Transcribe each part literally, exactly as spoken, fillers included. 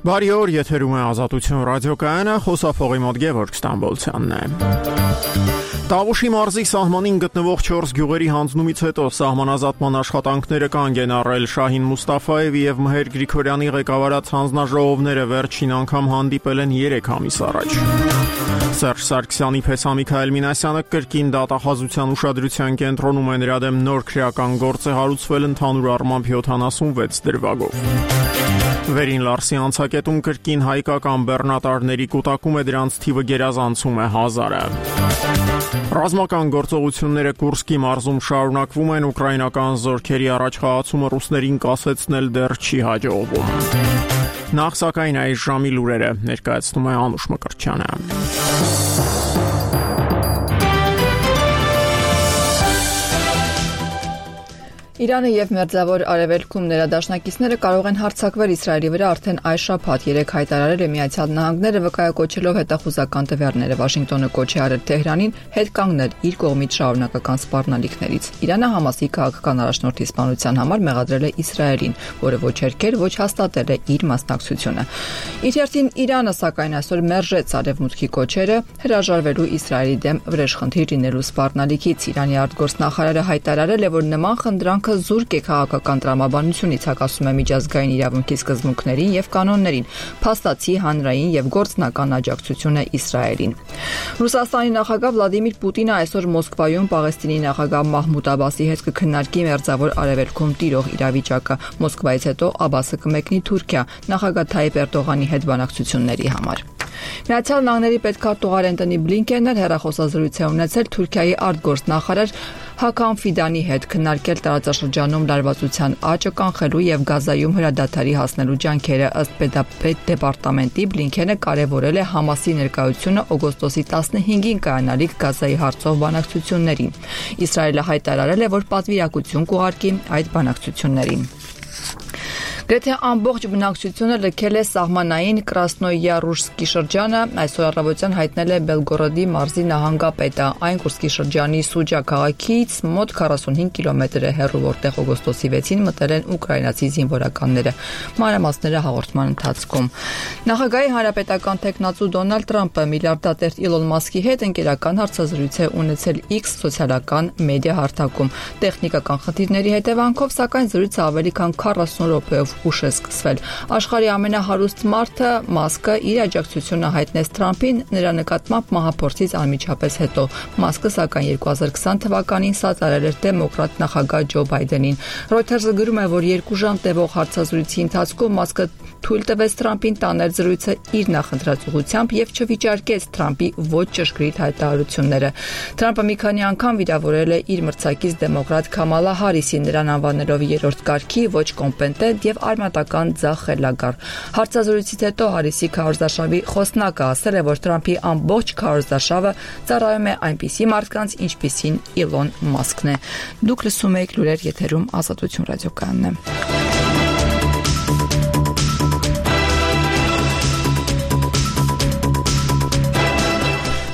Բարի օր, եթերում է Ազատություն ռադիոկայանը, խոսափողի մոտ Գևորգ Ստամբոլցյանն է։ Տավուշի մարզի սահմանին գտնվող չորս գյուղերի հանձնումից հետո սահմանազատման աշխատանքները կանգ են առել։ Շահին Մուստաֆաևի եւ Մհեր Գրիգորյանի ղեկավարած հանձնաժողովները վերջին անգամ հանդիպել են երեք ամիս առաջ։ Սերժ Սարգսյանի պես Միքայել Մինասյանը կրկին դատախազության ուշադրության կենտրոնում է, նրա դեմ նոր քրեական գործ է հարուցվել ընդհանուր առմամբ յոթանասունվեց դրվագով։ Վերին Լարսի անցակետում կրկին հայկական բեռնատարների կուտակում է, դրանց թիվը գերազանցում է հազարը։ Ռազմական գործողությունները Կուրսկի մարզում շարունակվում են, ուկրաինական զորքերի առաջխաղացումը ռուսներին կասեցնել դեռ չի հաջողվում։ Նախ սակայն այս ժամի լուրերը ներկայացնում է Անուշ Մկրտչյանը։ Իրանը եւ Մերձավոր Արևելքում ներադաշնակիցները կարող են հարձակվել Իսրայելի վրա արդեն այս շաբաթ, երեք հայտարարել է Միացյալ Նահանգները, վկայակոչելով հետախուզական տվյալները։ Վաշինգտոնը կոչ է արել Թեհրանին հետ կանգնել իր կողմից շարունակական սպառնալիքներից։ Իրանը Համասի քաղաքական առաջնորդի սպանության համար մեղադրել է Իսրայելին, որը ոչ հերքել, ոչ հաստատել է իր մասնակցությունը։ Իր հերթին Իրանը սակայն այսօր մերժեց Արևմուտքի կոչերը հրաժարվելու Իսրայելի դեմ վրեժխնդիր լինելու սպառնալիքից։ Իրանի արտգործնախարարը հայտարարել է, որ նման խնդրանք զուրկ է քաղաքական տրամաբանությունից, հակասում է միջազգային իրավունքի սկզբունքներին եւ կանոններին, փաստացի հանրային եւ գործնական աջակցությունը Իսրայելին։ Ռուսաստանի նախագահ Վլադիմիր Պուտինը այսօր Մոսկվայում Պաղեստինի նախագահ Մահմուդ Աբասի հետ կքննարկի Մերձավոր Արևելքում տիրող իրավիճակը։ Մոսկվայից հետո Աբասը կմեկնի Թուրքիա նախագահ Թայիպ Էրդողանի հետ բանակցությունների համար։ Միացյալ Նահանգների պետքարտուղար Անտոնի Բլինկենն հեռախոսազրույց է ունեցել Թուրքիայի արտգործնախարար Հական Ֆիդանի հետ, քննարկել տարածաշրջանում լարվածության աճը կանխելու եւ Գազայում հրադադարի հասնելու ջանքերը։ Ըստ Պետ դեպարտամենտի Բլինքենը կարևորել է Համասի ներկայությունը օգոստոսի տասնհինգին կայանալիք Գազայի հարցով բանակցություններին։ Իսրայելը հայտարարել է, որ պատվիրակություն կուղարկի այդ բանակցություններին։ Գրեթե ամբողջ բնակչությունը լքել է սահմանային Կրասնոյարուսկի շրջանը, այսօր առավոտյան հայտնել է Բելգորոդի մարզի նահանգապետը։ Այն Կուրսկի շրջանի Սուջա քաղաքից մոտ քառասունհինգ կիլոմետր է հեռու, որտեղ օգոստոսի վեցին մտել են ուկրաինացի զինվորականները։ Մանրամասները հաղորդման ընթացքում։ Նախագահի հանրապետական տեխնացու Դոնալդ Թրամփը միլիարդատեր Իլոն Մասկի հետ ընկերական հարցազրույց է ունեցել X սոցիալական մեդիա հարթակում։ Տեխնիկական խնդիրների հետևանքով, սակայն զրույցը ավելի քան քառասուն րոպեով ուշ է սկսվել։ Աշխարհի ամենահարուստ մարդը Մասկը իր աջակցությունը հայտնեց Թրամփին նրա նկատմամբ մահափորձից անմիջապես հետո։ Մասկը սակայն երկու հազար քսան թվականին սատարել էր դեմոկրատ նախագահ Ջո Բայդենին։ Reuters-ը գրում է, որ երկու ժամ տևող հարցազրույցի ընթացքում Մասկը թույլ տվեց Թրամփին տանել զրույցը իր նախընտրած ուղղությամբ եւ չվիճարկեց Թրամփի ոչ ճշգրիտ հայտարարությունները։ Թրամփը մի քանի անգամ վիրավորել է իր մրցակից դեմոկրատ Քամալա Հարիսին, նրան անվանելով երրորդ կարգի, ոչ կոմպետենտ եւ արմատական ձախ խելագար։ Հարցազրույցից հետո Հարիսի քարոզարշավի խոսնակը ասել է, որ Թրամփի ամբողջ քարոզարշավը ծառայում է այնպիսի մարդկանց, ինչպիսին Իլոն Մասկն է։ Դուք լսում եք լուրեր եթերում Ազատություն ռադիոկայանն է։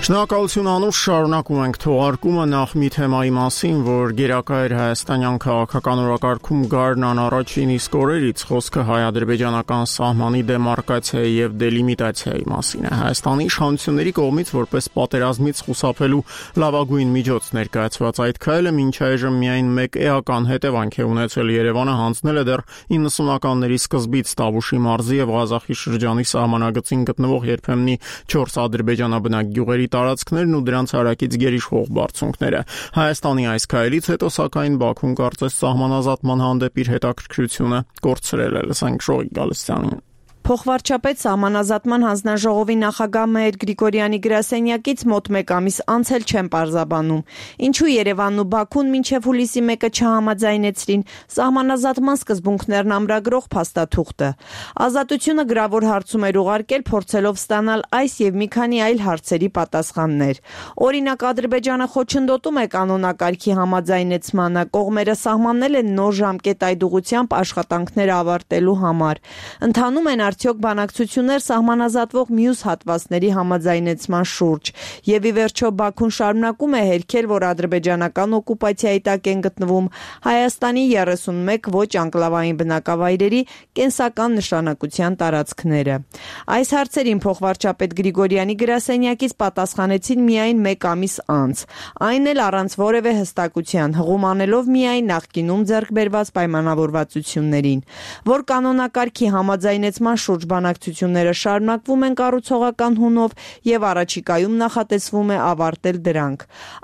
Շնորհակալություն Անուշ, շարունակում ենք թողարկումը նախ մի թեմայի մասին, որ գերակա էր հայաստանյան քաղաքական օրակարգում Գարնան առաջին իսկ օրերից, խոսքը հայ-ադրբեջանական սահմանի դեմարկացիայի եւ դելիմիտացիայի մասին է։ Հայաստանի իշխանությունների կողմից որպես պատերազմից խուսափելու լավագույն միջոց ներկայացված այդ քայլը մինչ այժմ միայն մեկ էական հետևանք է ունեցել։ Երևանը հանձնել է դեռ իննսունականների սկզբից Տավուշի մարզի եւ Ղազախի շրջանի սահմանագծին գտնվող երբեմնի չորս ադրբեջանաբնակ գյուղերի տարածքներն ու դրանց հարակից գերիշխող բարձունքները։ Հայաստանի այս քայլից հետո սակայն Բաքուն կարծես սահմանազատման հանդեպ իր հետաքրքրությունը կորցրել է։ Լսենք Շողիկ Գալստյանին։ Փոխվարչապետ Սահմանազատման հանձնաժողովի նախագահ Մհեր Գրիգորյանի գրասենյակից մոտ մեկ ամիս անց էլ չեն պարզաբանում, ինչու Երևանն ու Բաքուն մինչև հուլիսի մեկը չհամաձայնեցրին սահմանազատման սկզբունքներն ամրագրող փաստաթուղթը։ Ազատությունը գրավոր հարցում էր ուղարկել, փորձելով ստանալ այս եւ մի քանի այլ հարցերի պատասխաններ։ Օրինակ, Ադրբեջանը խոչընդոտում է կանոնակարգի համաձայնեցմանը, կողմերը սահմանել են նոր ժամկետ այդ ուղղությամբ աշխատանքները ավարտելու համար։ Ընթանում են արդյոք բանակցություններ սահմանազատվող մյուս հատվածների համաձայնեցման շուրջ։ Եվ ի վերջո Բաքուն շարունակում է հերքել, որ ադրբեջանական օկուպացիայի տակ են գտնվում Հայաստանի երեսունմեկ ոչ անկլավային բնակավայրերի կենսական նշանակության տարածքները։ Այս հարցերին փոխվարչապետ Գրիգորյանի գրասենյակից պատասխանեցին միայն մեկ ամիս անց, այն էլ առանց որևէ հստակության, հղում անելով միայն նախկինում ձեռք բերված պայմանավորվածություններին, որ կանոնակարգի համաձայնեցման շուրջ բանակցությունները շարունակվում են կառուցողական հունով եւ առաջիկայում նախատեսվում է ավարտել դրանք,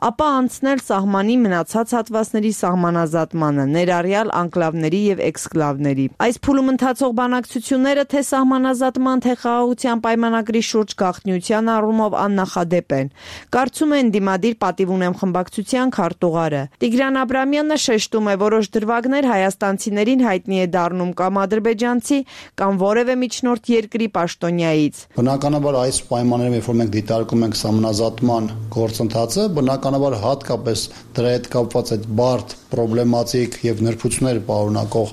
ապա անցնել սահմանի մնացած հատվածների սահմանազատմանը, ներառյալ անկլավների եւ էքսկլավների։ Այս փուլում ընթացող բանակցությունները թե սահմանազատման, թե խաղաղության պայմանագրի շուրջ գաղտնիության առումով աննախադեպ են, կարծում են դիմադիր պատիվ ունեմ խմբակցության քարտուղարը։ Տիգրան Աբրամյանը շեշտում է, որոշ դրվագներ հայաստանցիներին հայտնի է դառնում կամ ադրբեջանցի կամ որևէ միջնորդ երկրի պաշտոնյայից։ Բնականաբար այս պայմաններում, երբ որ մենք դիտարկում ենք սահմանազատման գործընթացը, բնականաբար հատկապես դրա հետ կապված այդ բարդ, պրոբլեմատիկ եւ նրբություններ պարունակող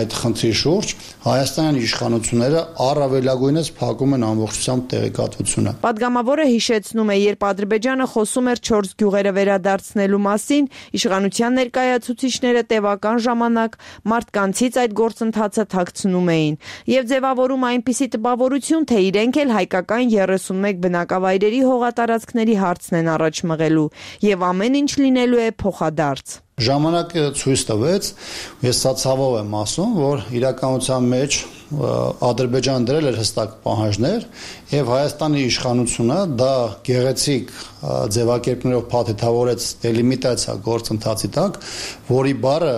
այդ խնդրի շուրջ հայաստանյան իշխանությունները առավելագույնս փակում են ամբողջությամբ տեղեկատվությունը։ Պատգամավորը հիշեցնում է, երբ Ադրբեջանը խոսում էր չորս գյուղերը վերադարձնելու մասին, իշխանության ներկայացուցիչները տևական ժամանակ մարդկանցից այդ գործընթացը թաքցնում էին եւ ձևավորում այնպիսի տպավորություն, թե իրենք էլ հայկական երեսունմեկ բնակավայրերի հողատարածքների հարցն են առաջ մղելու եւ ամեն ինչ լինելու է փոխադարձ։ Ժամանակը ցույց տվեց, ես սա ցավով եմ ասում, որ իրականության մեջ Ադրբեջանը դրել էր հստակ պահանջներ եւ Հայաստանի իշխանությունը դա գեղեցիկ ձևակերպներով փաթեթավորեց դելիմիտացիա գործընթացի տակ, որի բառը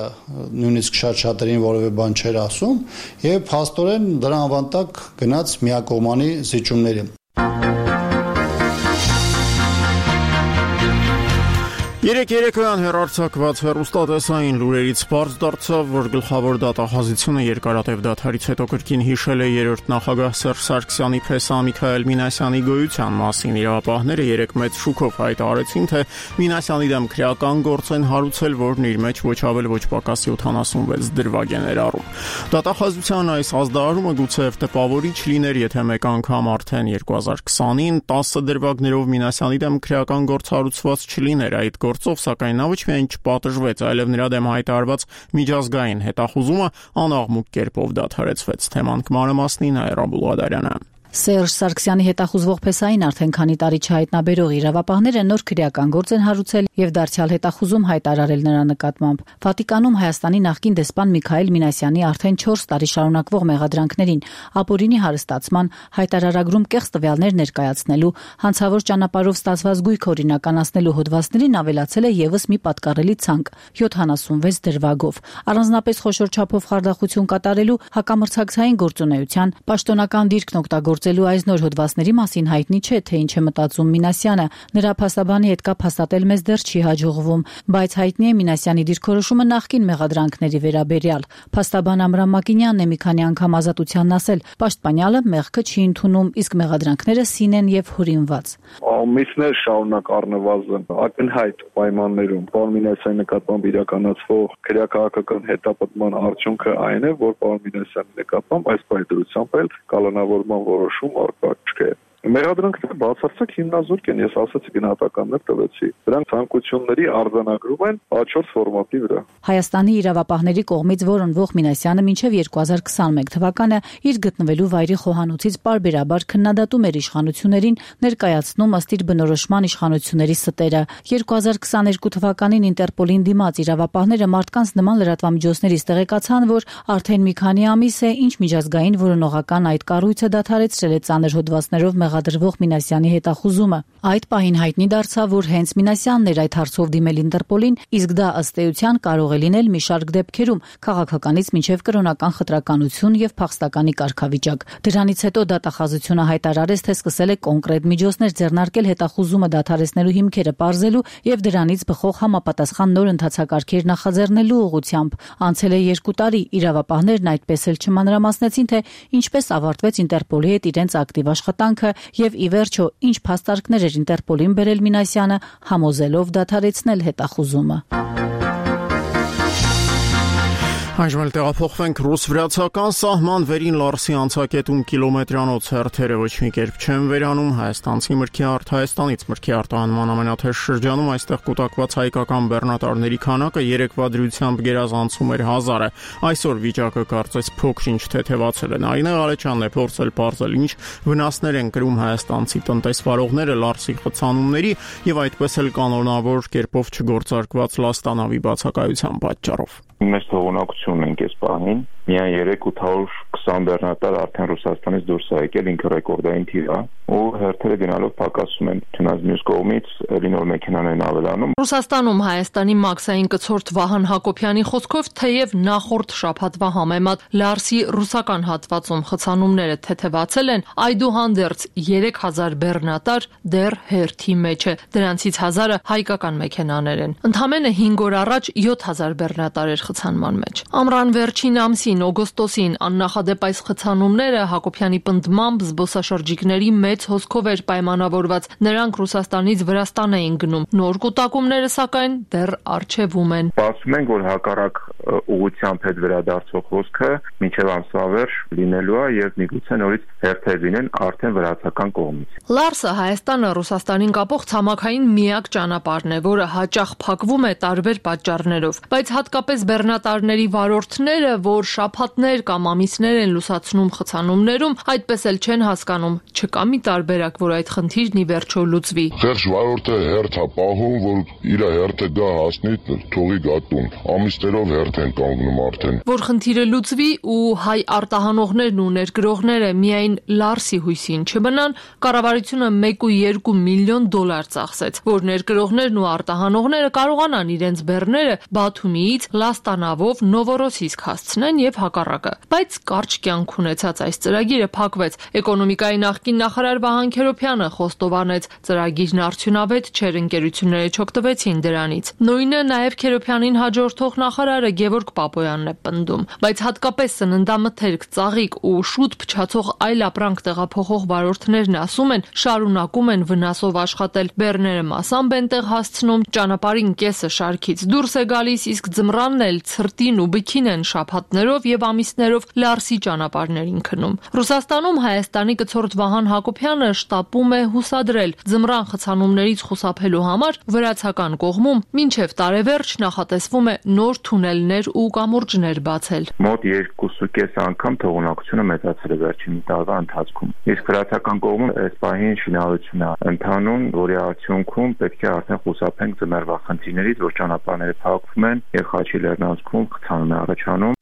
նույնիսկ շատ-շատերին որևէ բան չէր ասում եւ փաստորեն դրա անվան տակ գնաց միակողմանի զիջումների։ Երեք երեկոյան հեռարձակված հեռուստատեսային լուրերից պարզ դարձավ, որ գլխավոր դատախազությունը երկարատև դադարից հետո կրկին հիշել է երրորդ նախագահ Սերժ Սարգսյանի փեսա Միքայել Մինասյանի գոյության մասին։ Իրավապահները երեք մեծ շուկով հայտարարեցին, թե Մինասյանի դեմ քրեական գործ են հարուցել, որն իր մեջ ոչ ավել ոչ պակաս յոթանասունվեց դրվագ է ներառում։ Դատախազության այս ազդարարումը գուցեև տպավորիչ լիներ, եթե մեկ անգամ արդեն երկու հազար քսանին տասը դրվագներով Մինասյանի դեմ քրեական գործ հարուցված չլիներ այդ գործով, սակայն նա ոչ միայն չպատժվեց, այլև նրա դեմ հայտարարված միջազգային հետախուզումը անաղմուկ կերպով դադարեցվեց։ Թեման կմանրամասնի Նաիրա Բուլղադարյանը։ Սերժ Սարգսյանի հետախուզվող փեսային արդեն քանի տարի չհայտնաբերող իրավապահները նոր քրեական գործ են հարուցել եւ դարձյալ հետախուզում հայտարարել նրա նկատմամբ։ Վատիկանում Հայաստանի նախկին դեսպան Միքայել Մինասյանի արդեն չորս տարի շարունակվող մեղադրանքներին ապօրինի հարստացման, հայտարարագրում կեղծ տվյալներ ներկայացնելու, հանցավոր ճանապարհով ստացված գույք օրինականացնելու հոդվածներին ավելացել է եւս մի պատկառելի ցանկ՝ յոթանասունվեց դրվագով։ Առանձնապես խոշոր չափով խարդախություն կատարելու, հակամրցակցային գործունեության, պաշտոնական դիրքն օգտագործելու այս նոր հոդվածների մասին հայտնի չէ, թե ինչ է մտածում Մինասյանը։ Նրա փաստաբանի հետ կապ հաստատել մեզ դեռ չի հաջողվում, բայց հայտնի է Մինասյանի դիրքորոշումը նախկին մեղադրանքների վերաբերյալ։ Փաստաբան Ամրամ Մակինյանն է մի քանի անգամ ազատությանն ասել, պաշտպանյալը մեղքը չի ընդունում, իսկ մեղադրանքները սին են եւ հորինված։ Ամիսներ շարունակ առնվազն ակնհայտ պայմաններում պարոն Մինասյանի նկատմամբ իրականացվող քրեակահաղական հետապնդման արդյունքը այն է, որ պարոն Մինասյանի նկատմամբ այս պայմանությամբ էլ կալանավորման որոշում առկա չէ։ Մեղադրանքները բացարձակ հիմնազուրկ են, ես ասացի գնահատականներ տվեցի։ Դրանք ցանկությունների արձանագրում են A չորս ֆորմատի վրա։ Հայաստանի իրավապահների կողմից որոնվող Մինասյանը մինչև երկու հազար քսանմեկ թվականը իր գտնվելու վայրի խոհանոցից պարբերաբար քննադատում էր իշխանություններին, ներկայացնում ըստ իր բնորոշման իշխանությունների ստերը։ երկու հազար քսաներկու թվականին Ինտերպոլին դիմաց իրավապահները մարդկանց նման լրատվամիջոցներից տեղեկացան, որ արդեն մի քանի ամիս է, ինչ միջազգային որոնողական այդ կառույցը դադարեցրել է ծանր հոդվածներով մեղադրվող Մինասյանի հետախուզումը։ Այդ պահին հայտնի դարձավ, որ հենց Մինասյանն էր այդ հարցով դիմել Ինտերպոլին, իսկ դա ըստ էության կարող է լինել մի շարք դեպքերում, քաղաքականից մինչև կրոնական խտրականություն եւ փախստականի կարգավիճակ։ Դրանից հետո դատախազությունը հայտարարեց, թե սկսել է կոնկրետ միջոցներ ձեռնարկել հետախուզումը դադարեցնելու հիմքերը պարզելու եւ դրանից բխող համապատասխան նոր ընթացակարգեր նախաձեռնելու ուղղությամբ։ Անցել է երկու տարի, իրավապահներն այդպես էլ չմանրամասնեցին, թե ինչպես ավարտվեց Ինտերպոլի հետ իրենց ակտիվ աշխատանքը եւ ի վերջո ինչ փաստարկներ էր Ինտերպոլին բերել Մինասյանը, համոզելով դադարեցնել հետախուզումը։ Այժմ տեղափոխվենք ռուս-վրացական սահման վերին Լարսի անցակետում կիլոմետրանոց հերթերը ոչ մի կերպ չեն վերանում հայաստանցի մրգի արդ Հայաստանից մրգի արտահանման ամենաթեժ շրջանում այստեղ կուտակված հայկական բեռնատարների քանակը երեկվա դրությամբ գերազանցում էր հազարը այսօր վիճակը կարծես փոքր-ինչ թեթևացել է Նարինե Ղալեչյանն է փորձել պարզել ինչ վնասներ են կրում հայաստանցի տնտեսվարողները Լարսի խցանումների եւ այդպես էլ կանոնավոր կերպով չգործարկված լաստանավի բացակայության պատճառով Մեծ թողունակություն ենք այս պահին միայն երեք ութ հարյուր քսան բեռնատար արդեն Ռուսաստանից դուրս է եկել ինքը ռեկորդային թիվ է ու հերթերը գնալով պակասում են չնայած մյուս կողմից էլի նոր մեքենաներն ավելանում Ռուսաստանում Հայաստանի մաքսային կցորդ Վահան Հակոբյանի խոսքով թեև նախորդ շաբաթվա համեմատ Լարսի ռուսական հատվածում խցանումները թեթևացել են այդուհանդերձ երեք հազար բեռնատար դեռ հերթի մեջ է դրանցից հազարը հայկական մեքենաներ են ընդամենը հինգ օր առաջ յոթ հազար բեռնատար էր խցանման մեջ ամռան վերջին ամսին օգոստոսին աննախադեպ այս խցանումները Հակոբյանի պնդմամբ զբոսաշրջիկների մեծ հոսքով էր պայմանավորված նրանք Ռուսաստանից Վրաստան էին գնում նոր կուտակումները սակայն դեռ առջևում են Ասում ենք որ հակառակ ուղղությամբ հետ վերադարձող հոսքը մինչև ամսվա վերջ լինելու է եւ միգուցե նորից հերթեր լինեն արդեն վրացական կողմից Լարսը Հայաստանը Ռուսաստանին կապող ցամաքային միակ ճանապարհն է որը հաճախ փակվում է տարբեր պատճառներով բայց հատկապես բեռնատարների վարորդները որ շաբաթներ կամ ամիսներ են լուսացնում խցանումներում այդպես էլ չեն հասկանում չկա մի տարբերակ որ այդ խնդիրն ի վերջո լուծվի Խեղճ վարորդը հերթ է պահում որ իր հերթը գա հասնի թողի գատուն ամիսներով հերթ են կանգնում արդեն որ խնդիրը լուծվի ու հայ արտահանողներն ու ներգրողները միայն Լարսի հույսին չմնան կառավարությունը մեկ ու երկու միլիոն դոլար ծախսեց որ ներգրողներն ու արտահանողները կարողանան իրենց բեռները Բաթումիից լաստանավով Նովորոսիսկ հասցնեն եւ հակառակը բայց կարճ կյանք ունեցած այս ծրագիրը փակվեց էկոնոմիկայի նախկին նախարար Վահան Քերոբյանը խոստովանեց ծրագիրն արդյունավետ չէր ընկերությունները չօգտվեցին դրանից նույնը նաեւ Քերոբյանին հաջորդող նախարարը Գևորգ Պապոյանն է պնդում բայց հատկապես սննդամթերք ծաղիկ ու շուտ փչացող այլ ապրանք տեղափոխող վարորդներն ասում են շարունակում են վնասով աշխատել բեռները մասամբ են տեղ հասցնում ճանապարհին կեսը շարքից դուրս է գալիս իսկ ձմռանն էլ ցրտին ու բքին են շաբաթներով եւ ամիսներով Լարսի ճանապարհներին քնում Ռուսաստանում Հայաստանի կցորդ Վահան Հակոբյանը շտապում է հուսադրել ձմռան խցանումներից խուսափելու համար վրացական կողմում մինչև տարեվերջ նախատեսվում է նոր թունելներ ու կամուրջներ բացել Մոտ երկու կես անգամ թողունակությունը մեծացել է վերջին տարվա ընթացքում իսկ վրացական կողմում այս պահին շինարարություն է ընթանում որի արդյունքում պետք է արդեն խուսափենք ձմեռվա խնդիրներից որ ճանապարհները փակվում են եւ Խաչի լեռնանցքում խցանում է առաջանում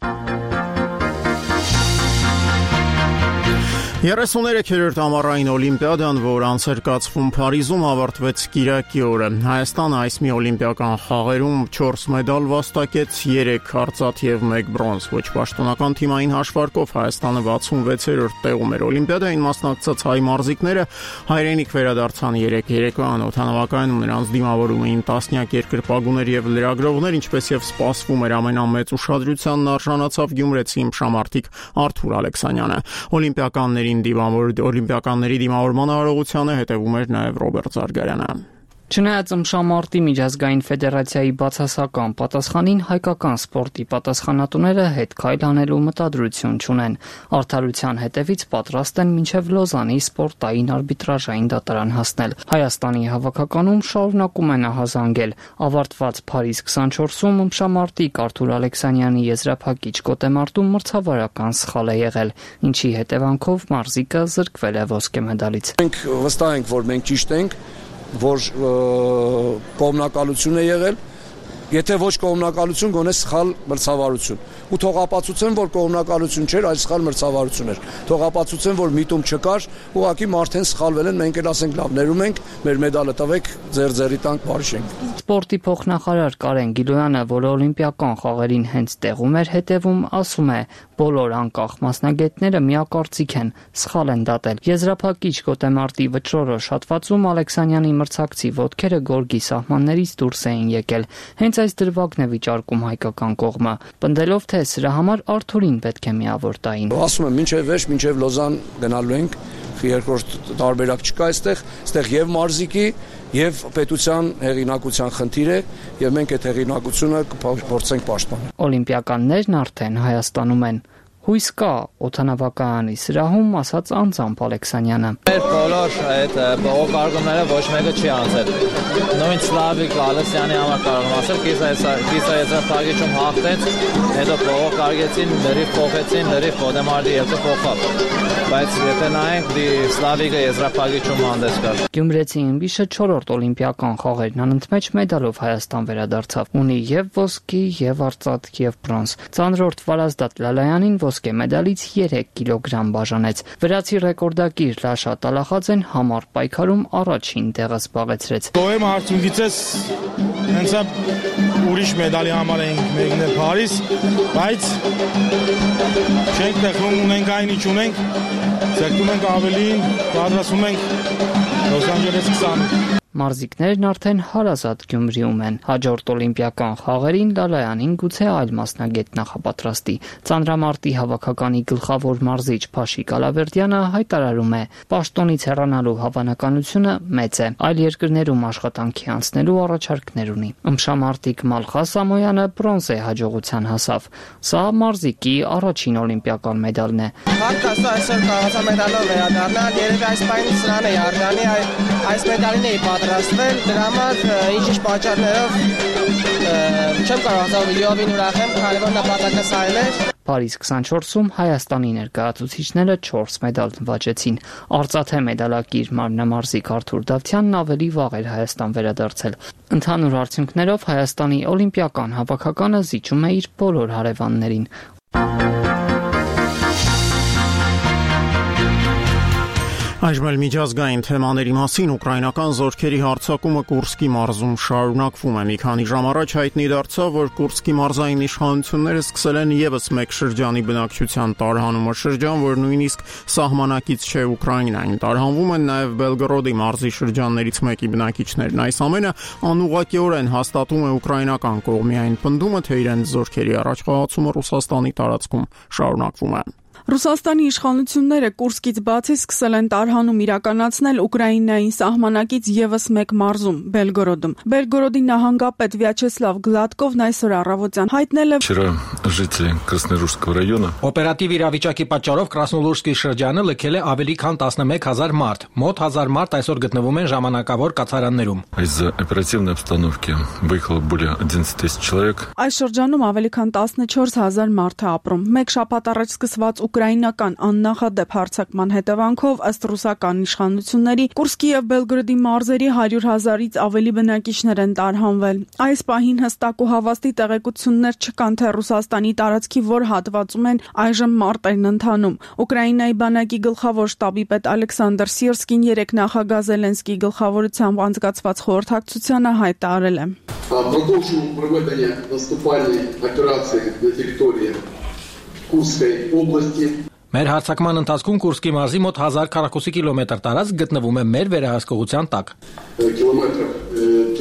երեսուներեք-րդ ամառային օլիմպիադան, որ անցերկացվում Փարիզում ավարտվեց կիրակի օրը։ Հայաստանը այս մի օլիմպիական խաղերում չորս մեդալ վաստակեց, երեք արծաթ եւ մեկ բրոնզ։ Ոչ պաշտոնական թիմային հաշվարկով Հայաստանը վաթսունվեցերորդ տեղում էր։ Օլիմպիադային մասնակցած հայ մարզիկները հայրենիք վերադարձան երեք երեկոյան օդանավակայանում նրանց դիմավորում էին տասնյակ երկրպագուներ եւ լրագրողներ, ինչպես եւ սպասվում էր ամենամեծ ուշադրությանն արժանացավ գյումրեցի իմշամարտիկ Արթուր Ալեքսանյանը։ Օլիմպիականների Օլիմպիականների դիմավորման արարողությանը հետևում էր նաև Ռոբերտ Զարգարյանը։ Չնայած ըմշամարտի միջազգային ֆեդերացիայի բացասական պատասխանին հայկական սպորտի պատասխանատուները հետ քայլ անելու մտադրություն չունեն։ Արդարության հետևից պատրաստ են մինչև Լոզանի սպորտային արբիտրաժային դատարան հասնել։ Հայաստանի հավաքականում շարունակում են ահազանգել։ Ավարտված Փարիզ քսանչորսում ըմշամարտիկ Արթուր Ալեքսանյանի եզրափակիչ գոտեմարտում մրցավարական սխալ է եղել, ինչի հետևանքով մարզիկը զրկվել է ոսկե մեդալից։ Մենք վստահ ենք, որ մենք ճիշտ ենք որ կողմնակալություն է եղել, եթե ոչ կողմնակալություն, գոնե սխալ մրցավարություն։ Ու թող ապացուցեն, որ կողմնակալություն չէր, այլ սխալ մրցավարություն էր։ Թող ապացուցեն, որ միտում չկար, ուղղակի մարդեն սխալվել են, մենք էլ ասենք լավ, ներում ենք, մեր մեդալը տվեք, ձեր ձերի տանք բարիշենք։ Սպորտի փոխնախարար Կարեն Գիլոյանը, որը օլիմպիական խաղերին հենց տեղում էր հետևում, ասում է, բոլոր անկախ մասնագետները միակարծիք են, սխալ են դատել։ Եզրափակիչ գոտեմարտի վճռորոշ հատվածում Ալեքսանյանի մրցակցի ոտքերը գորգի սահմաններից դուրս էին եկել։ Հենց այս դրվագն է վիճարկում հայկական կողմը, պնդելով, թե սրա համար Արթուրին պետք է միավոր տային։ Ասում եմ, մինչև վերջ, մինչև Լոզան գնալու ենք, երկրորդ տարբերակ չկա այստեղ, այստեղ եւ մարզիկի եւ պետության հեղինակության խնդիր է եւ մենք այդ հեղինակությունը կփորձենք պաշտպանել։ Օլիմպիականներն արդեն Հայաստանում են։ Հույս կա օդանավակայանի սրահում, ասաց Անձամբ Ալեքսանյանը։ Մեր բոլոր այդ բողոքարկումները ոչ մեկը չի անցել։ Նույն Սլավիկ Ալեքսյանի համար կարող եմ ասել, կիսաեզրափակիչում հաղթեց, հետո բողոքարկեցին, լրիվ փոխեցին, լրիվ Խոդեմարդի ելքը փոխավ։ Բայց եթե նայենք, դի Սլավիկը եզրափակիչում հանդես կար։ Գյումրեցի ըմբիշը չորրորդ օլիմպիական խաղերն անընդմեջ մեդալով Հայաստան վերադարձավ։ Ունի եւ ոսկի, եւ արծաթ, եւ բրոնզ։ Ծանրորդ Վարազդատ Լալայանին ոսկե մեդալից երեք կիլոգրամ բաժանեց։ Վրացի ռեկորդակիր Լաշա Տալախաձեն համառ պայքարում առաջին տեղը զբաղեցրեց։ Գոհեմ արդյունքից հենց ուրիշ մեդալի համար ենք մեկնել Փարիզ, բայց չենք տեխնում, ունենք այն ինչ ունենք, ձգտում ենք ավելին, պատրաստվում ենք Լոս Անջելես քսան։ Մարզիկներն արդեն հարազատ Գյումրիում են։ Հաջորդ օլիմպիական խաղերին Լալայանին գուցե այլ մասնագետ նախապատրաստի։ Ծանրամարտի հավաքականի գլխավոր մարզիչ Փաշիկ Ալավերդյանը հայտարարում է. պաշտոնից հեռանալու հավանականությունը մեծ է։ Այլ երկրներում աշխատանքի անցնելու առաջարկներ ունի։ Ըմբշամարտիկ Մալխա Սամոյանը բրոնզե հաջողության հասավ։ Սա մարզիկի առաջին օլիմպիական մեդալն է։ Հարկասը այսօր կարողացա մեդալով վերադառնալ, երևի այս պայմանից սրան է արժանի, այս մեդալին էի պատրաստվել, դրա համար ինչ-ինչ պատճառներով չեմ կարողացել լիովին ուրախ եմ, քանի որ նպատակը սա էր։ Փարիզ քսանչորսում Հայաստանի ներկայացուցիչները չորս մեդալ նվաճեցին։ Արծաթե մեդալակիր մարմնամարզիկ Արթուր Դավթյանն ավելի վաղ էր Հայաստան վերադարձել։ Ընդհանուր արդյունքներով Հայաստանի օլիմպիական հավաքականը զիջում է իր բոլոր հարևաններին։ Այժմ էլ միջազգային թեմաների մասին ուկրաինական զորքերի հարձակումը Կուրսկի մարզում շարունակվում է։ Մի քանի ժամ առաջ հայտնի դարձավ, որ Կուրսկի մարզային իշխանությունները սկսել են եւս մեկ շրջանի բնակչության տարհանումը, շրջան, որ նույնիսկ սահմանակից չէ Ուկրաինային։ Տարհանվում են նաեւ Բելգորոդի մարզի շրջաններից մեկի բնակիչներն։ Այս ամենը անուղղակիորեն հաստատում է ուկրաինական կողմի այն պնդումը, թե իրենց զորքերի առաջխաղացումը Ռուսաստանի տարածքում շարունակվում է։ Ռուսաստանի իշխանությունները Կուրսկից բացի սկսել են տարհանում իրականացնել Ուկրաինային սահմանակից եւս մեկ մարզում՝ Բելգորոդում։ Բելգորոդի նահանգապետ Վյաչեսլավ Գլադկովն այսօր առավոտյան հայտնել է. Вчера жители Красноуральского района օպերատիվ իրավիճակի պատճառով Կրասնոլուրսկի շրջանը լքել է ավելի քան տասնմեկ հազար մարդ։ Մոտ հազար մարդ այսօր գտնվում են ժամանակավոր կացարաններում։ Из-за оперативной обстановки выехало более одиннадцать тысяч человек։ Այս շրջանում ավելի քան տասնչորս հազար մարդ է ապրում։ Մեկ շաբաթ առաջ սկսված ուկրաինական աննախադեպ հարձակման հետևանքով ըստ ռուսական իշխանությունների Կուրսկի եւ Բելգորոդի մարզերի հարյուր հազարից ավելի բնակիչներ են տարհանվել։ Այս պահին հստակ ու հավաստի տեղեկություններ չկան, թե Ռուսաստանի տարածքի որ հատվածում են այժմ մարտերն ընթանում։ Ուկրաինայի բանակի գլխավոր շտաբի պետ Ալեքսանդր Սիրսկին երեկ նախագահ Զելենսկիի գլխավորությամբ անցկացված խորհրդակցությանը հայտարարել է. Продолжим проведення наступальної операції на території Курской области. Մեր հարձակման ընթացքում Կուրսկի մարզի մոտ հազար քառակուսի կիլոմետր տարածք գտնվում է մեր վերահսկողության տակ։ Կիլոմետրов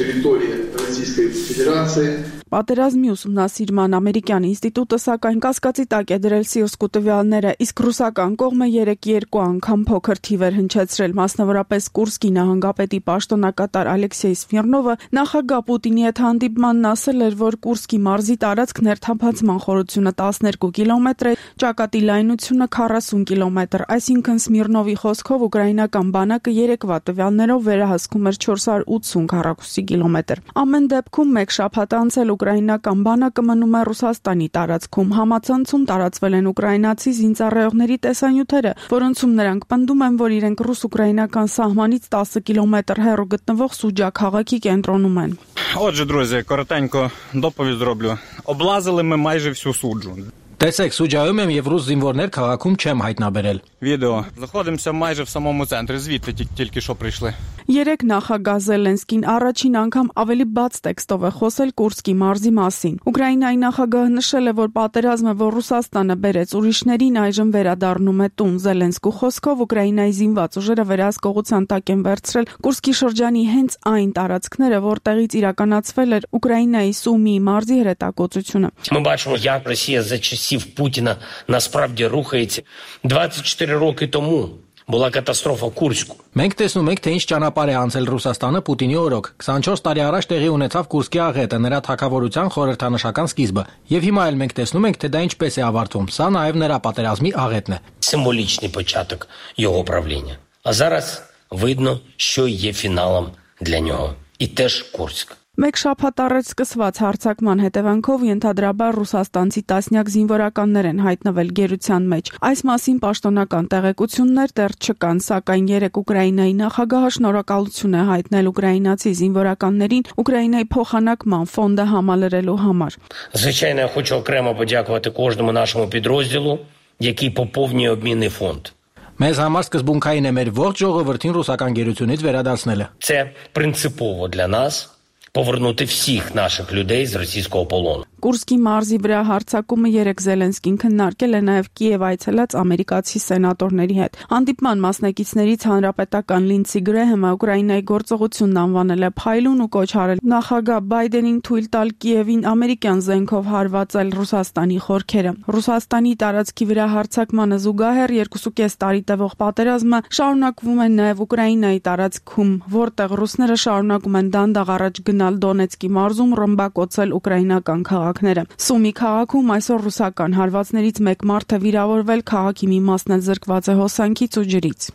территории Российской Федерации. Պատերազմի ուսումնասիրման ամերիկյան ինստիտուտը սակայն կասկածի տակ է դրել Սիրսկու տվյալները, իսկ ռուսական կողմը երեք երկու անգամ փոքր թիվեր հնչեցրել, մասնավորապես Կուրսկի նահանգապետի պաշտոնակատար Ալեքսեյ Սմիրնովը նախագահ Պուտինի հետ հանդիպմանն ասել էր, որ Կուրսկի մարզի տարածքն ներթափանցման խորությունը տասներկու կիլոմետր է, ճակատի լայնությունը քառասուն կիլոմետր, այսինքն Սմիրնովի խոսքով ուկրաինական բանակը երեկվա տվյալներով վերահսկում էր չորս հարյուր ութսուն քառակուսի կիլոմետր։ Ամեն դեպքում մեկ շաբաթ անցել ուկրաինական բանակը մնում է Ռուսաստանի տարածքում։ Համացանցում տարածվել են ուկրաինացի զինծառայողների տեսանյութերը, որոնցում նրանք պնդում են, որ իրենք ռուս-ուկրաինական սահմանից տասը կիլոմետր հեռու գտնվող Սուջա քաղաքի կենտրոնում են։ Отже, друзі, коротенько доповідь зроблю. Облазили ми майже всю суджу. Տեսեք, Սուջայում եմ եւ ռուս զինվորներ քաղաքում չեմ հայտնաբերել։ Відео. Знаходимося майже в самому центрі, звідти тільки що прийшли. Երեք նախագահ Զելենսկին առաջին անգամ ավելի բաց տեքստով է խոսել Կուրսկի մարզի մասին։ Ուկրաինայի նախագահը նշել է, որ պատերազմը, որ Ռուսաստանը բերեց ուրիշներին, այժմ վերադառնում է տուն։ Զելենսկու խոսքով Ուկրաինայի զինված ուժերը վերահսկողության տակ են վերցրել Կուրսկի шրջանի հենց այն տարածքները, որտեղից իրականացվել էր Ուկրաինայի Սումի մարզի հրետակոծությունը։ Ми бачимо, як Росія за часів Путіна насправді рухається. двадцять чотири роки тому Была катастрофа Курску. Մենք տեսնում ենք, թե ինչ ճանապարհ է անցել Ռուսաստանը Պուտինի օրոք։ քսանչորս տարի առաջ տեղի ունեցավ Կուրսկի աղետը, նրա թագավորության խորհրդանշական սկիզբը։ Եվ հիմա էլ մենք տեսնում ենք, թե դա ինչպես է ավարտվում։ Սա նաև նրա պատերազմի աղետն է։ Символічний початок його правління. А зараз видно, що є фіналом для нього. І теж Курськ. Մեկ շաբաթ առաջ սկսված հարձակման հետևանքով ենթադրաբար ռուսաստանցի տասնյակ զինվորականներ են հայտնվել գերության մեջ։ Այս մասին պաշտոնական տեղեկություններ դեռ չկան, սակայն երեք Ուկրաինայի նախագահը շնորհակալություն է հայտնել ուկրաինացի զինվորականներին Ուկրաինայի փոխանակման ֆոնդը համալրելու համար։ Звичайно, я хочу окремо подякувати кожному нашому підрозділу, який поповнює обмінний фонд. Մեզ համար սկզբունքային է մեր ողջ ժողովրդին ռուսական գերությունից վերադարձնելը։ Це принципово для нас повернути всіх наших людей з російського полону. Կուրսկի մարզի վրա հարձակումը երեք Զելենսկին քննարկել է նաև Կիև այցելած ամերիկացի սենատորների հետ։ Հանդիպման մասնակիցներից հանրապետական Լինդսի Գրեհեմը Ուկրաինայի գործողությունն անվանել է փայլուն ու կոչ արել նախագահ Բայդենին թույլ տալ Կիևին ամերիկյան զենքով հարվածել Ռուսաստանի խորքերը։ Ռուսաստանի տարածքի վրա հարձակմանը զուգահեռ երկուսուկես տարի տևող պատերազմը շարունակվում է նաև Ուկրաինայի տարածքում, որտեղ ռուսները շարունակում են դանդաղ առաջ գնալ Դոնեցկի մարզում ռմբակոծել ուկրաինական քաղաքները։ Սումի քաղաքում այսօր ռուսական հարվածներից մեկ մարդ է վիրավորվել, քաղաքի մի մասն էլ զրկված է հոսանքից ու ջրից։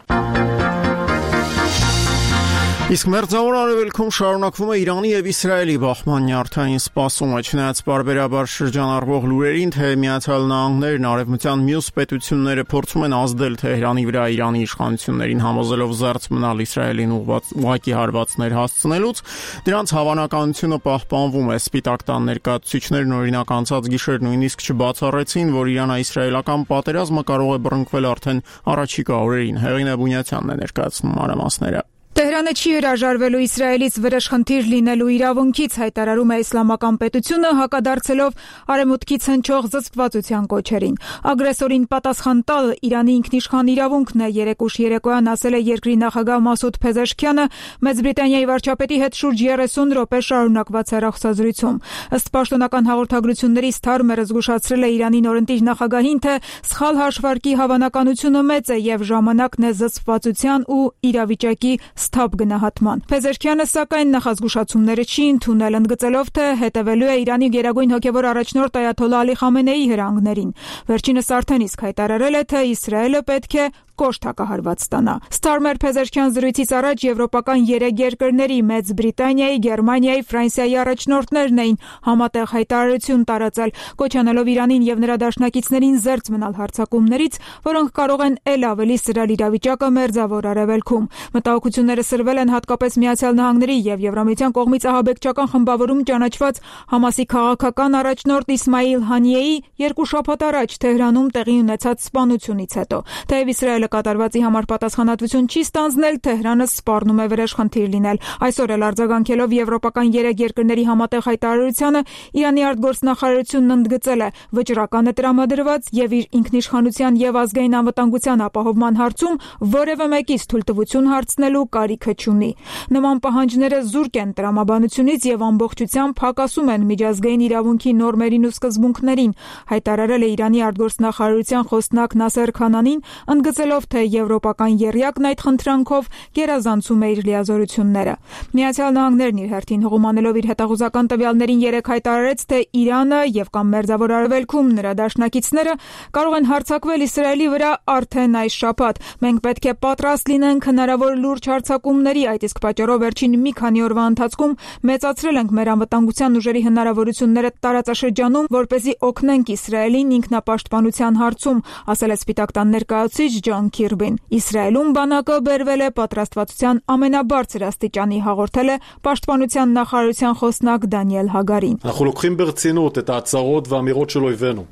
Իսկ մերձավոր արևելքում շարունակվում է Իրանի եւ Իսրայելի բախման նյարդային սպասումը, չնայած բարբերաբար շրջանառվող լուրերին, թե Միացյալ Նահանգներն արևմտյան մյուս պետությունները փորձում են ազդել Թեհրանի վրա Իրանի իշխանություններին համոզելով զերծ մնալ Իսրայելին ուղղակի հարվածներ հասցնելուց, դրանց հավանականությունը պահպանվում է։ Սպիտակ տան ներկայացուցիչներն օրինակ անցած գիշեր նույնիսկ չբացառեցին, որ Իրան-իսրայելական պատերազմը կարող է բռնկվել արդեն առաջիկա օրերին։ Հեղինե Բունյացյանն է ներկայացնում մանրամասները։ Տեհրանը չի հրաժարվելու Իսրայելից վրեժխնդիր լինելու իրավունքից, հայտարարում է իսլամական պետությունը, հակադարձելով արևմուտքից հնչող զսպվածության կոչերին։ Ագրեսորին պատասխան տալը Իրանի ինքնիշխան իրավունքն է, երեկ ուշ երեկոյան ասել է երկրի նախագահ Մասուդ Փեզեշքյանը Մեծ Բրիտանիայի վարչապետի հետ շուրջ երեսուն րոպե շարունակված հեռախոսազրույցում։ Ըստ պաշտոնական հաղորդագրությունների Սթարմերը զգուշացրել է Իրանի նորընտիր նախագահին, թե սխալ հաշվարկի հավանականությունը մեծ է եւ ժամանակն է զսպվածության ու իրավիճակի սթափ գնահատման։ Փեզեշքյանը սակայն նախազգուշացումները չի ընդունել, ընդգծելով, թե հետևելու է Իրանի գերագույն հոգևոր առաջնորդ Այաթոլլահ Ալի Խամենեիի հրահանգներին։ Վերջինս արդեն իսկ հայտարարել է, թե Իսրայելը պետք է կոշտ հակահարված ստանա։ Ստարմեր Փեզեշքյան զրույցից առաջ եվրոպական երեք երկրների՝ Մեծ Բրիտանիայի, Գերմանիայի, Ֆրանսիայի առաջնորդներն էին համատեղ հայտարարություն տարածել, կոչ անելով Իրանին եւ նրա դաշնակիցներին զերծ մնալ հարձակումներից, որոնք կարող են ել ավելի սրել իրավիճակը Մերձավոր Արևելքում։ Մտահոգությունները սրվել են հատկապես Միացյալ Նահանգների եւ Եվրամիության կողմից ահաբեկչական խմբավորում ճանաչված Համասի քաղաքական առաջնորդ Իսմայիլ Հանիեի երկու շաբաթ առաջ Թեհրանում տեղի ունեցած սպանությունից հետո։ Թեև Իսրայելը կատարվածի համար պատասխանատվություն չի ստանձնել, Թեհրանը սպառնում է վրեժխնդիր լինել։ Այսօր էլ արձագանքելով եվրոպական երեք երկրների համատեղ հայտարարությանը, Իրանի արտգործնախարարությունն ընդգծել է վճռական է տրամադրված եւ իր ինքնիշխանության եւ ազգային անվտանգության ապահովման հարցում որևէ մեկից թույլտվություն հարցնելու կարիքը չունի։ Նման պահանջները զուրկ են տրամաբանությունից եւ ամբողջությամբ հակասում են միջազգային իրավունքի նորմերին ու սկզբունքներին, հայտարարել է Իրանի արտգործնախարարության խոսնակ Նասեր Քանանին, ընդգծելով, թե եվրոպական եռյակն այդ խնդրանքով գերազանցում է իր լիազորությունները։ Միացյալ Նահանգներն իր հերթին հողմանելով իր հետախուզական տվյալներին երեք հայտարարեց, թե Իրանը եւ կամ Մերձավոր Արևելքում նրա դաշնակիցները կարող են հարձակվել Իսրայելի վրա արդեն այս շաբաթ։ Մենք պետք է պատրաստ լինենք հնարավոր լուրջ հարձակումների, այդ իսկ պատճառով վերջին մի քանի օրվա ընթացքում մեծացրել ենք մեր անվտանգության ուժերի հնարավորությունները տարածաշրջանում, որպեսզի օգնենք Իսրայելին ինքնապաշտպանության հարցում, ասել է Սպիտակ տան ներկայացուցիչ Ջոն Քիրբին։ Իսրայելում բանակը բերվել է պատրաստվածության ամենաբարձր աստիճանի, հաղորդել է պաշտպանության նախարարության խոսնակ Դանիել Հագարին։ אנחנו לוקחים ברצינות את ההצהרות והאמירות של אויבינו.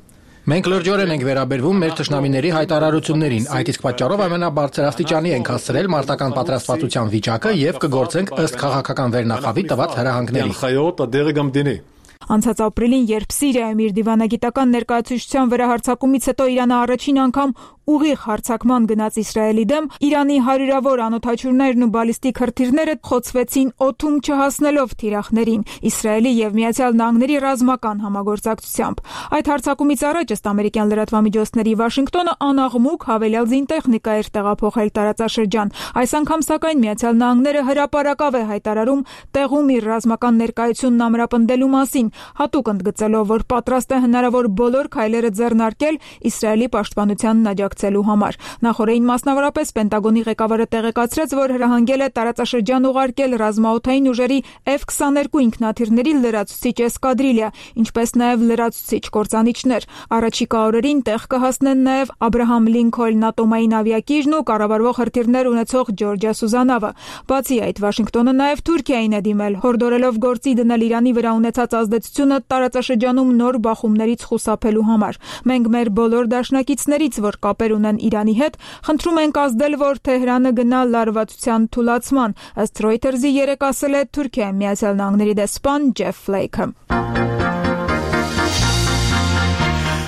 Մենք լրջորեն ենք վերաբերվում մեր թշնամիների հայտարարություններին, այդ իսկ պատճառով ամենաբարձր աստիճանի ենք հասցրել մարտական պատրաստվածության վիճակը եւ կգործենք ըստ քաղաքական վերնախավի տված հրահանգների։ הנחיות הדרג המדיני. Անցած ապրիլին, երբ Սիրիայում իր դիվանագիտական ներկայացուցչության վրա հարձակումից հետո Իրանը առաջին անգամ ուղիղ հարձակման գնաց Իսրայելի դեմ, Իրանի հարյուրավոր անօդաչուներն ու բալիստիկ հրթիռները խոցվեցին օդում չհասնելով թիրախներին Իսրայելի եւ Միացյալ Նահանգների ռազմական համագործակցությամբ։ Այդ հարձակումից առաջ ըստ ամերիկյան լրատվամիջոցների Վաշինգտոնը անաղմուկ հավելյալ զինտեխնիկա էր տեղափոխել տարածաշրջան։ Այս անգամ սակայն Միացյալ Նահանգները հրապարակավ է հայտարարում տեղում իր ռազմական ներկայությունն ամրապնդելու մասին, հատուկ ընդգծելով, որ պատրաստ է հնարավոր բոլոր քայլերը ձեռնարկել Իսրայելի պաշտպանությանն աջակցելու համար։ Նախորդին մասնավորապես Պենտագոնի ղեկավարը տեղեկացրեց, որ հրահանգել է տարածաշրջան ուղարկել ռազմաօդային ուժերի Էֆ քսաներկու ինքնաթիռների լրացուցիչ էսկադրիլիա, ինչպես նաև լրացուցիչ կործանիչներ։ Առաջիկա օրերին տեղ կհասնեն նաև Աբրահամ Լինքոլն ատոմային ավիակիրն ու կառավարվող հրթիռներ ունեցող Ջորջիա Սուզանավը։ Բացի այդ, Վաշինգտոնը նաև Թուրքիային է դիմել, հորդորելով գործի դնել Իրանի վրա ունեցած ազդեցությունը տարածաշրջանում նոր բախումներից խուսափելու համար։ Մենք մեր բոլոր դաշնակիցներից, որ կապեր ունեն Իրանի հետ, խնդրում ենք ազդել, որ Թեհրանը գնա լարվածության թուլացման, ըստ Reuters-ի երեկ ասել է Թուրքիայի Միացյալ Նահանգների դեսպան Ջեֆ Ֆլեյքը։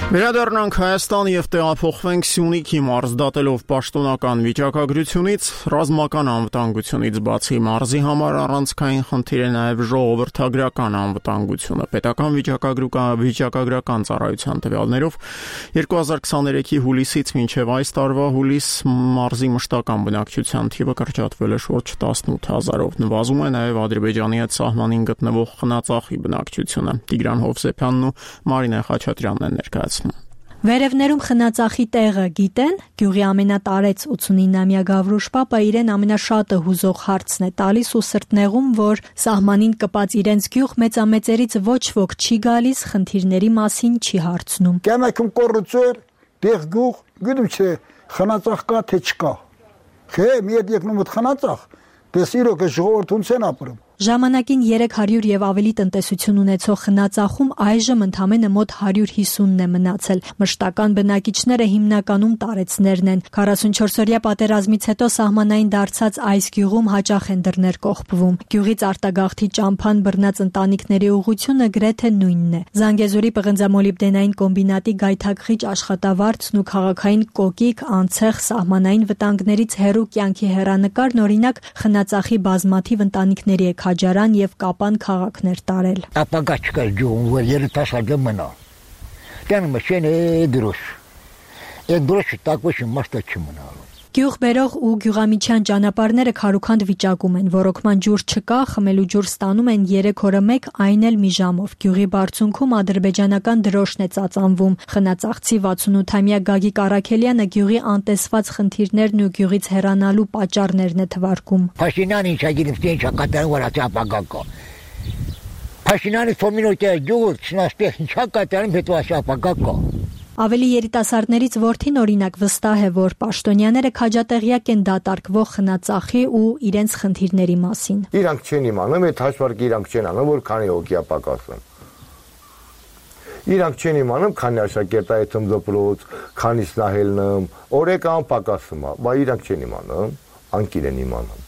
Վերադառնանք Հայաստան եւ տեղափոխվենք Սյունիքի մարզ, դատելով պաշտոնական վիճակագրությունից, ռազմական անվտանգությունից բացի մարզի համար առանցքային խնդիր է նաեւ ժողովրդագրական անվտանգությունը։ Պետական վիճակագրական ծառայության տվյալներով երկու հազար քսաներեքի հուլիսից մինչև այս տարվա հուլիս մարզի մշտական բնակչության թիվը կրճատվել է շուրջ տասնութ հազարով։ Նվազում է նաեւ Ադրբեջանի հետ սահմանին գտնվող խնածախի բնակչությունը։ Տիգրան Հովսեփյանն ու Մարինե Խաչատրյանն են ներկայացնում։ Վերևներում խնածախի տեղը գիտեն, գյուղի ամենատարեց ութսունինամյա Գավրուշ պապը իրեն ամենաշատը հուզող հարցն է տալիս ու սրտնեղում, որ սահմանին կպած իրենց գյուղ մեծամեծերից ոչ ոք չի գալիս, խնդիրների մասին չի հարցնում։ Կամակում կոռուպցիա, տեղ գյուղ, գիտում չէ, խնածախ կա թե չկա։ Չէ, մի հետ եկնում ըդ խնածախ, դες իրոք է ժողովրդուն ցեն ապրում։ Ժամանակին երեք հարյուր եւ ավելի տնտեսություն ունեցող խնածախում այժմ ընդամենը մոտ հարյուր հիսունն է մնացել։ Մշտական բնակիչները հիմնականում տարեցներն են։ քառասունչորսօրյա պատերազմից հետո սահմանային դարձած այս գյուղում հաճախ են դռներ կողպվում։ Գյուղից արտագաղթի ճամփան բռնած ընտանիքների ուղղությունը գրեթե նույնն է։ Զանգեզուրի պղնձամոլիբդենային կոմբինատի գայթակղիչ աշխատավարձն ու քաղաքային կոկիկ, անցեղ, սահմանային վտանգներից հեռու կյանքի հեռանկարն օրինակ խնածախի բազմաթիվ ընտանիքների է Քաջարան եւ Կապան քաղաքներ տարել։ Ապագա չկար գյուղում, որ երիտասարդը մնա։ Տան մշեն է դրոշ։ Այդ դրոշը տակոշի մաստա չմնա։ Գյուղ բերող ու գյուղամիջյան ճանապարհները քարուքանդ վիճակում են, ռոռոկման ջուր չկա, խմելու ջուր ստանում են երեք օրը մեկ, այն էլ մի ժամով։ Գյուղի բարձունքում ադրբեջանական դրոշն է ծածանվում։ Խնածաղցի վաթսունութամյա Գագիկ Արաքելյանը գյուղի անտեսված խնդիրներն ու գյուղից հեռանալու պատճառներն է թվարկում։ Փաշինյանը ինչա գիտեմ, թե ինչա կատարում, որ ասա ապագա կա։ Փաշինյանը ֆոմինոյտը գյուղ չնաստեղ ինչա կատարում, հետո ասա ապագա կա։ Ավելի երիտասարդներից որդին օրինակ վստահ է, որ պաշտոնյաները քաջատեղյակ են դատարկվող խնածախի ու իրենց խնդիրների մասին։ Իրանք չեն իմանում, այդ հաշվարկը իրանք չեն անում, որ քանի հոգի է պակասում։ Իրանք չեն իմանում, քանի աշակերտայից դպրոց, քանից նահելնում, օրեկան պակասում է, բայց իրանք չեն իմանում, անկիր են իմանում։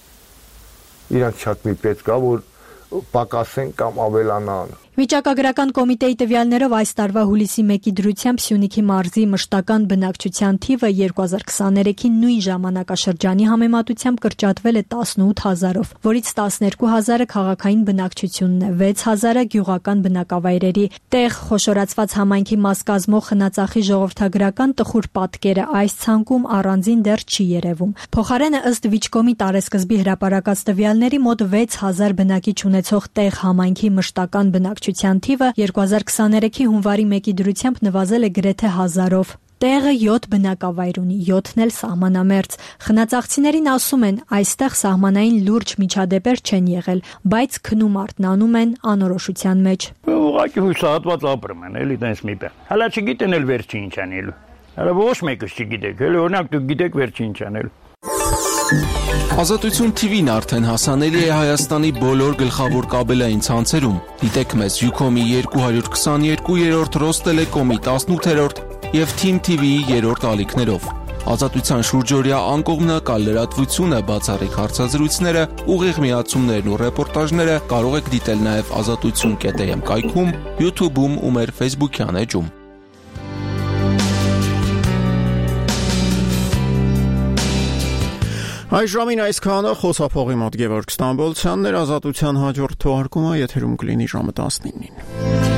Իրանք շատ մի պետք է, որ պակասեն կամ ավելանան։ Վիճակագրական կոմիտեի տվյալներով այս տարվա հուլիսի մեկի դրությամբ Սյունիքի մարզի մշտական բնակչության թիվը երկու հազար քսաներեքի նույն ժամանակաշրջանի համեմատությամբ կրճատվել է տասնութ հազարով, որից տասներկու հազարը քաղաքային բնակչությունն է, վեց հազարը գյուղական բնակավայրերի տեղ խոշորացված համայնքի մաս կազմող խնածախի ժողովրդագրական տխուր պատկերը այս ցանկում առանձին դեռ չի երևում։ Փոխարենը ըստ Վիճկոմի տարեսկզբի հրապարակած տվյալների մոտ վեց հազար բնակիչ ունեցող տեղ համայնքի մշտական բնակչություն թիվը երկու հազար քսաներեքի հունվարի մեկի դրությամբ նվազել է գրեթե հազարով։ Տեղը յոթ բնակավայր ունի, յոթն էլ սահմանամերձ։ Խնածաղցիներին ասում են, այստեղ սահմանային լուրջ միջադեպեր չեն եղել, բայց քնում արթնանում են անորոշության մեջ։ Ուղղակի հուսահատված ապրում են, էլի տենց մի բան։ Հələ չգիտեն էլ վերջի ինչ անելու։ Հələ ոչ մեկը չգիտեք, էլի օրինակ դուք գիտեք վերջի ինչ անելու։ Ազատություն թիվին արդեն հասանելի է Հայաստանի բոլոր գլխավոր կաբելային ցանցերում։ Դիտեք մեզ Յուքոմի երկու հարյուր քսաներկու, Ռոստելեկոմի տասնութերորդ եւ Թիմ թի վիի երրորդ ալիքներով։ Ազատության շուրջօրյա անկողմնակալ լրատվությունը, բացառիկ հարցազրույցները, ուղիղ միացումներն ու ռեպորտաժները կարող եք դիտել նաեւ ազատություն կետ էմ կայքում, YouTube-ում ու մեր Facebook-յան էջում։ Այժմին այսքանը խոսափողի մոտ Գևորգ Ստամբոլցյանն էր, ազատության հաջորդ թողարկումը եթերում կլինի ժամը տասնինին։